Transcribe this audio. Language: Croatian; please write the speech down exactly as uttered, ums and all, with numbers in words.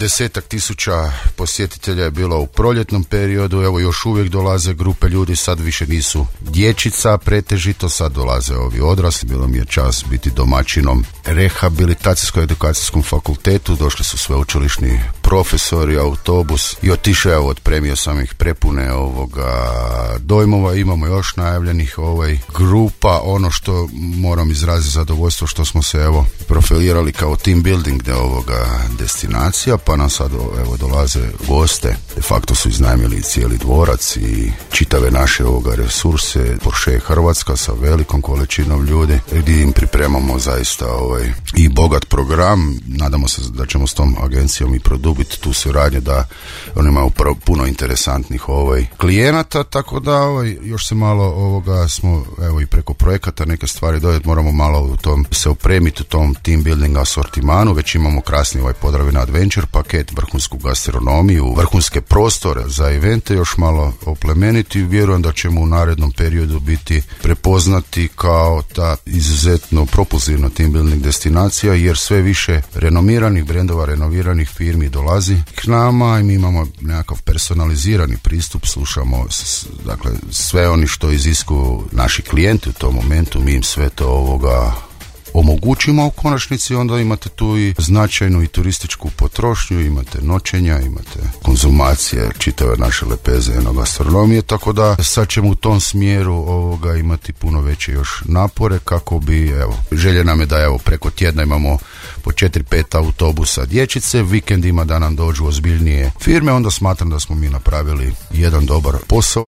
Desetak tisuća posjetitelja je bilo u proljetnom periodu, evo još uvijek dolaze grupe ljudi, sad više nisu dječica pretežito, sad dolaze ovi odrasli. Bilo mi je čast biti domaćinom rehabilitacijsko-edukacijskom fakultetu, došli su sveučilišni profesori, autobus i otišao, evo, otpremio sam ih prepune ovoga dojmova. Imamo još najavljenih ovaj grupa. Ono što moram izraziti zadovoljstvo što smo se evo profilirali kao team building de ovoga destinacija, pa nam sad evo dolaze goste. De facto su iznajmili cijeli dvorac i čitave naše ovoga resurse. Porsche Hrvatska sa velikom količinom ljudi gdje im pripremamo zaista ovaj i bogat program. Nadamo se da ćemo s tom agencijom i produbiti tu suradnju, da oni imaju puno interesantnih ovaj klijenata, tako da ovaj, još se malo ovoga smo evo i preko projekata neke stvari dodati, moramo malo u tom se opremiti u tom team building asortimanu. Već imamo krasni ovaj Podravina Adventure paket, vrhunsku gastronomiju, vrhunske prostore za evente, još malo oplemeniti. Vjerujem da ćemo u narednom periodu biti prepoznati kao ta izuzetno propulzivna team building destinacija, jer sve više renomiranih brendova, renoviranih firmi dolazi k nama i mi imamo nekakav personalizirani pristup, slušamo s, dakle sve oni što iziskuju naši klijenti u tom momentu, mi im sve to ovoga omogućimo. U konačnici onda imate tu i značajnu i turističku potrošnju, imate noćenja, imate konzumacije čitave naše lepeze enogastronomije, tako da sad ćemo u tom smjeru ovoga imati puno veće još napore kako bi, evo, želje nam je da evo preko tjedna imamo po četiri pet autobusa dječice, vikendima da nam dođu ozbiljnije firme, onda smatram da smo mi napravili jedan dobar posao.